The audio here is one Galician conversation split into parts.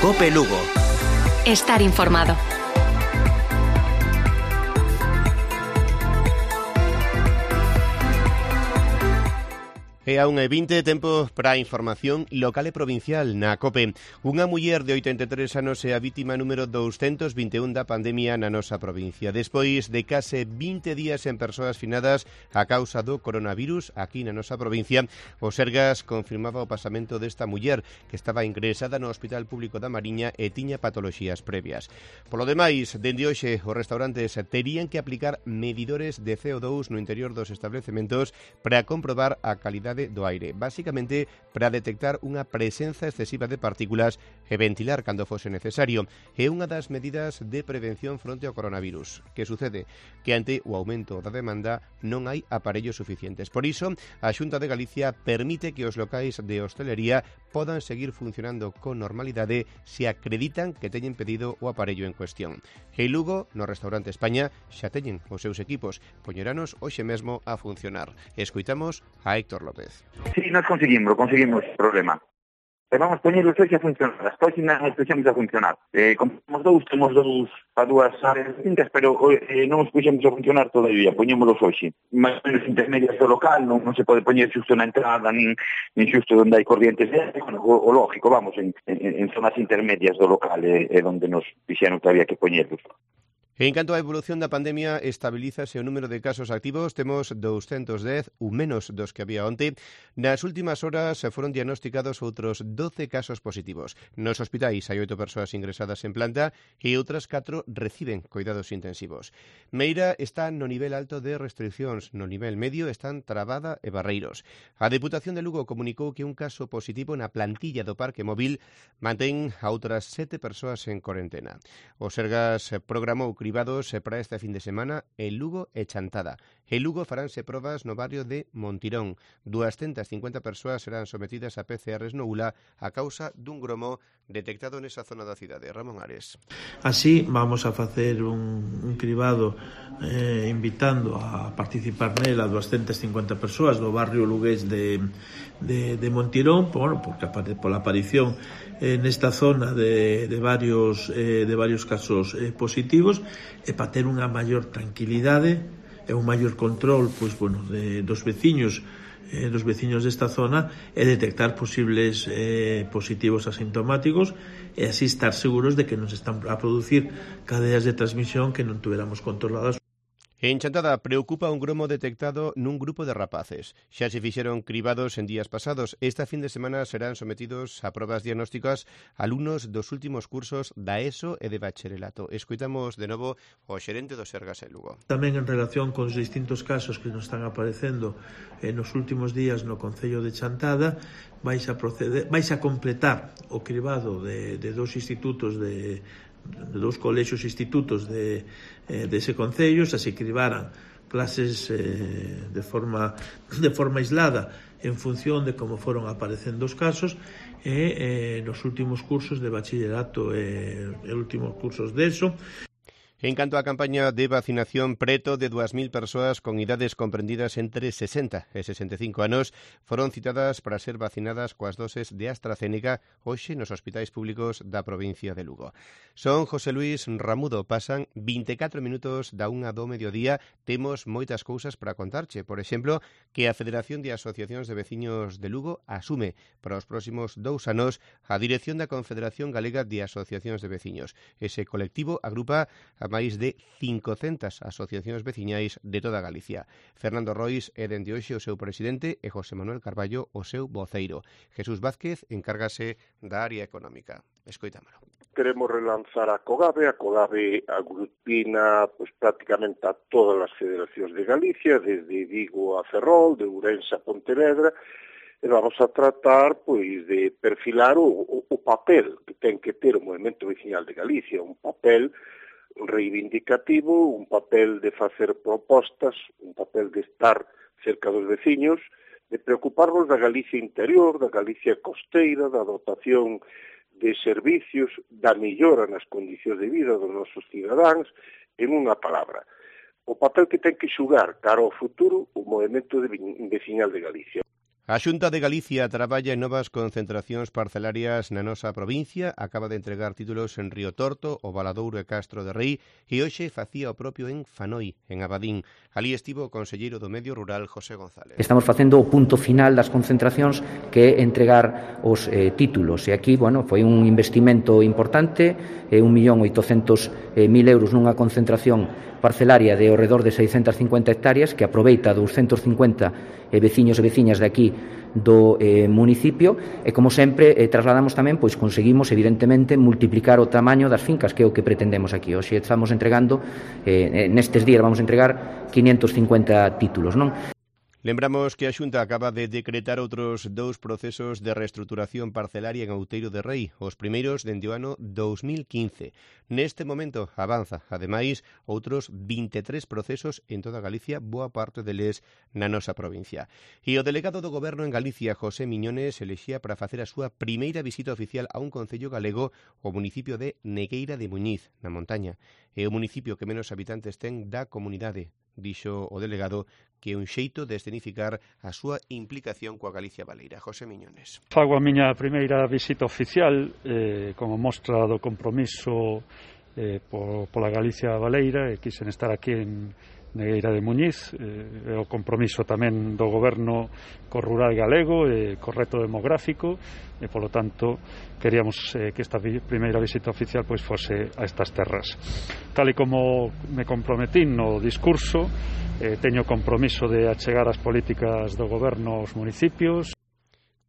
COPE Lugo. Estar informado. E a 1:20, tempo para a información local e provincial na COPE. Unha muller de 83 anos é a vítima número 221 da pandemia na nosa provincia. Despois de case 20 días en persoas finadas a causa do coronavirus aquí na nosa provincia, o Sergas confirmaba o pasamento desta muller que estaba ingresada no Hospital Público da Mariña e tiña patoloxías previas. Polo demais, dende hoxe, os restaurantes terían que aplicar medidores de CO2 no interior dos establecementos para comprobar a calidade do aire, basicamente para detectar unha presenza excesiva de partículas e ventilar cando fose necesario. É unha das medidas de prevención fronte ao coronavirus. Que sucede? Que ante o aumento da demanda non hai aparellos suficientes. Por iso, a Xunta de Galicia permite que os locais de hostelería podan seguir funcionando con normalidade se acreditan que teñen pedido o aparello en cuestión. En Lugo, no restaurante España, xa teñen os seus equipos. Poñeranos hoxe mesmo a funcionar. Escoitamos a Héctor López. Sí, nos conseguimos o problema. Vamos poñer os dois a funcionar, as páxinas empezamos a funcionar. Temos dous para dúas áreas distintas, pero non os puxemos a funcionar todavía, poñémolos hoxe. Mais ou menos intermedias do local, non se pode poñer xusto na entrada, nin xusto onde hai corrientes de aire, o lógico, vamos, en zonas intermedias do local é onde nos dixeron que había que poñerlos. En canto á evolución da pandemia, estabilízase o número de casos activos. Temos 210, un menos dos que había onte. Nas últimas horas foron diagnosticados outros 12 casos positivos. Nos hospitais hai 8 persoas ingresadas en planta e outras 4 reciben cuidados intensivos. Meira está no nivel alto de restriccións, no nivel medio están Trabada e Barreiros. A Deputación de Lugo comunicou que un caso positivo na plantilla do Parque Móvil mantén a outras 7 persoas en corentena. O Sergas programou cribados para este fin de semana en Lugo e Chantada. En Lugo faránse probas no barrio de Montirón. 250 persoas serán sometidas a PCRs no ULA a causa dun gromo detectado nesa zona da cidade. Ramón Ares. Así vamos a facer un cribado invitando a participar nela 250 persoas do barrio lugués de Montirón, porque pola aparición nesta zona de varios casos positivos, e para ter unha maior tranquilidade e un maior control dos veciños desta zona e detectar posibles positivos asintomáticos e así estar seguros de que non se están a producir cadeas de transmisión que non tuveramos controladas. En Chantada preocupa un gromo detectado nun grupo de rapaces. Xa se fixeron cribados en días pasados. Esta fin de semana serán sometidos a probas diagnósticas alumnos dos últimos cursos da ESO e de bacharelato. Escoitamos de novo o xerente do Sergas en Lugo. Tamén en relación con os distintos casos que nos están aparecendo nos últimos días no Concello de Chantada, vais a completar o cribado de dous institutos de dous colexios institutos dese concello. Se cribaran clases de forma aislada en función de como foron aparecendo os casos e nos últimos cursos de bachillerato e últimos cursos de ESO. En canto á campaña de vacinación, preto de 2.000 persoas con idades comprendidas entre 60 e 65 anos foron citadas para ser vacinadas coas doses de AstraZeneca hoxe nos hospitais públicos da provincia de Lugo. Son José Luis Ramudo, pasan 24 minutos da 1 do mediodía. Temos moitas cousas para contarche. Por exemplo, que a Federación de Asociacións de Veciños de Lugo asume para os próximos 2 anos a dirección da Confederación Galega de Asociacións de Veciños. Ese colectivo agrupa a máis de 500 asociacións veciñais de toda Galicia. Fernando Rois é dende hoxe o seu presidente e José Manuel Carballo o seu voceiro. Jesús Vázquez encárgase da área económica. Escoitámolo. Queremos relanzar a COGAVE. A COGAVE aglutina prácticamente a todas as federacións de Galicia, desde Vigo a Ferrol, de Ourense a Pontevedra, e vamos a tratar de perfilar o papel que ten que ter o movemento veciñal de Galicia, un papel reivindicativo, un papel de facer propostas, un papel de estar cerca dos veciños, de preocuparnos da Galicia interior, da Galicia costeira, da dotación de servicios, da mellora nas condicións de vida dos nosos cidadáns, en unha palabra. O papel que ten que xugar cara ao futuro o movemento veciñal de Galicia. A Xunta de Galicia traballa en novas concentracións parcelarias na nosa provincia, acaba de entregar títulos en Río Torto, o Valadouro e Castro de Rei, e hoxe facía o propio en Fanoi, en Abadín. Alí estivo o conselleiro do Medio Rural, José González. Estamos facendo o punto final das concentracións, que é entregar os títulos, e aquí, foi un investimento importante, 1.800.000 euros nunha concentración parcelaria de ao redor de 650 hectáreas que aproveita 250 veciños e veciñas de aquí do municipio, e como sempre trasladamos tamén, conseguimos evidentemente multiplicar o tamaño das fincas, que é o que pretendemos aquí. Hoxe estamos entregando, nestes días vamos a entregar 550 títulos, non? Lembramos que a Xunta acaba de decretar outros 2 procesos de reestruturación parcelaria en Outeiro de Rei, os primeiros dende o ano 2015. Neste momento avanza, ademais, outros 23 procesos en toda Galicia, boa parte deles na nosa provincia. E o delegado do Goberno en Galicia, José Miñones, elexía para facer a súa primeira visita oficial a un concello galego, o municipio de Negueira de Muñiz, na montaña. É o municipio que menos habitantes ten da comunidade. Dixo o delegado que é un xeito de escenificar a súa implicación coa Galicia baleira. José Miñones. Fago a miña primeira visita oficial como mostra do compromiso pola Galicia baleira, e quixen estar aquí en Negueira de Muñiz, o compromiso tamén do goberno co rural galego e co reto demográfico, e polo tanto queríamos que esta primeira visita oficial fose a estas terras. Tal e como me comprometín no discurso, teño compromiso de achegar as políticas do goberno aos municipios.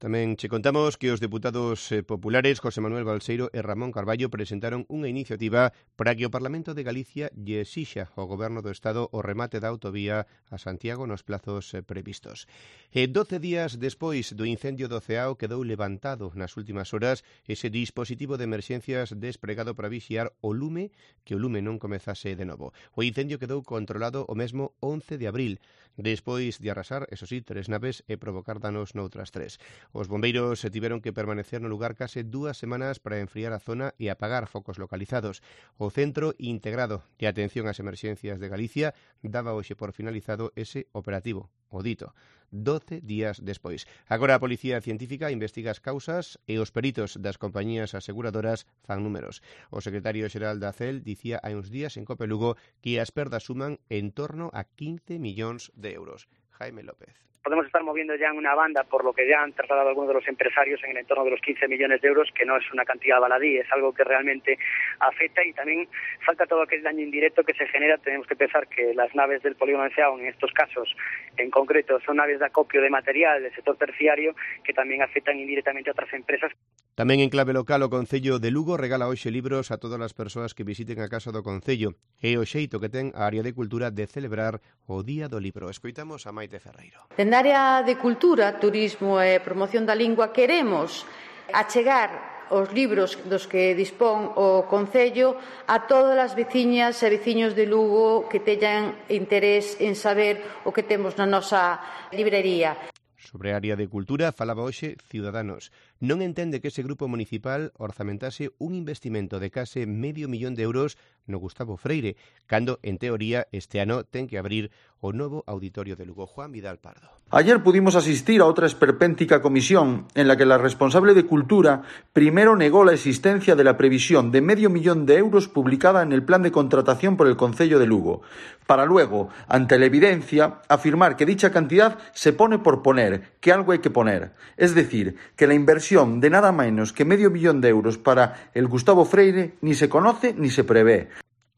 Tamén che contamos que os deputados populares José Manuel Balseiro e Ramón Carballo presentaron unha iniciativa para que o Parlamento de Galicia lle exixa ao Goberno do Estado o remate da autovía a Santiago nos plazos previstos. 12 días despois do incendio do Ceao quedou levantado nas últimas horas ese dispositivo de emerxencias despregado para vixiar o lume, que o lume non comezase de novo. O incendio quedou controlado o mesmo 11 de abril, despois de arrasar, eso sí, 3 naves e provocar danos noutras 3. Os bombeiros tiveron que permanecer no lugar case 2 semanas para enfriar a zona e apagar focos localizados. O Centro Integrado de Atención ás Emerxencias de Galicia daba hoxe por finalizado ese operativo, o dito, 12 días despois. Agora a Policía Científica investiga as causas e os peritos das compañías aseguradoras fan números. O secretario xeral da CEL dicía hai uns días en Cope Lugo que as perdas suman en torno a 15 millóns de euros. Jaime López. Podemos estar moviendo ya en una banda, por lo que ya han trasladado algunos de los empresarios, en el entorno de los 15 millones de euros, que no es una cantidad baladí, es algo que realmente afecta, y también falta todo aquel daño indirecto que se genera. Tenemos que pensar que las naves del polígono de Ceao, en estos casos en concreto, son naves de acopio de material del sector terciario que también afectan indirectamente a otras empresas. Tamén en clave local, o Concello de Lugo regala hoxe libros a todas as persoas que visiten a Casa do Concello. É o xeito que ten a área de cultura de celebrar o Día do Libro. Escoitamos a Maite Ferreiro. Dende a área de cultura, turismo e promoción da lingua queremos achegar os libros dos que dispón o Concello a todas as veciñas e veciños de Lugo que teñan interés en saber o que temos na nosa librería. Sobre a área de cultura falaba hoxe Ciudadanos. Non entende que ese grupo municipal orzamentase un investimento de case $500.000 de euros no Gustavo Freire, cando, en teoría, este ano ten que abrir o novo auditorio de Lugo. Juan Vidal Pardo. Ayer pudimos asistir a otra esperpéntica comisión en la que la responsable de Cultura primero negó la existencia de la previsión de $500.000 de euros publicada en el plan de contratación por el Concello de Lugo, para luego, ante la evidencia, afirmar que dicha cantidad se pone por poner, que algo hay que poner. Es decir, que la inversión de nada menos que $500.000 de euros para el Gustavo Freire ni se conoce ni se prevé.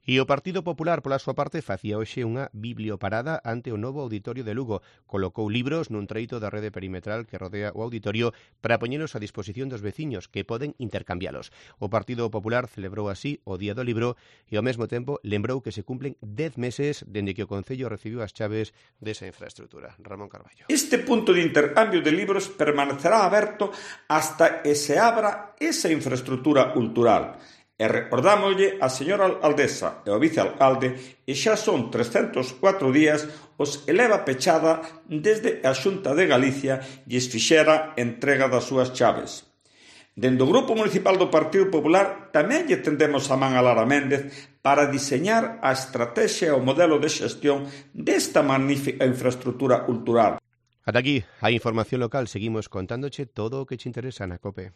E o Partido Popular, pola súa parte, facía hoxe unha biblioparada ante o novo auditorio de Lugo. Colocou libros nun treito da rede perimetral que rodea o auditorio para poñelos a disposición dos veciños, que poden intercambialos. O Partido Popular celebrou así o Día do Libro e, ao mesmo tempo, lembrou que se cumplen 10 meses dende que o Concello recibiu as chaves desa infraestructura. Ramón Carballo. Este punto de intercambio de libros permanecerá aberto hasta que se abra esa infraestructura cultural. E recordámoslle a señora alcaldesa e ao vicealcalde e xa son 304 días os que leva pechada desde a Xunta de Galicia lles fixera entrega das súas chaves. Dende o Grupo Municipal do Partido Popular tamén lle tendemos a man a Lara Méndez para diseñar a estrategia e o modelo de xestión desta magnífica infraestructura cultural. Ata aquí a información local, seguimos contándoche todo o que te interesa na COPE.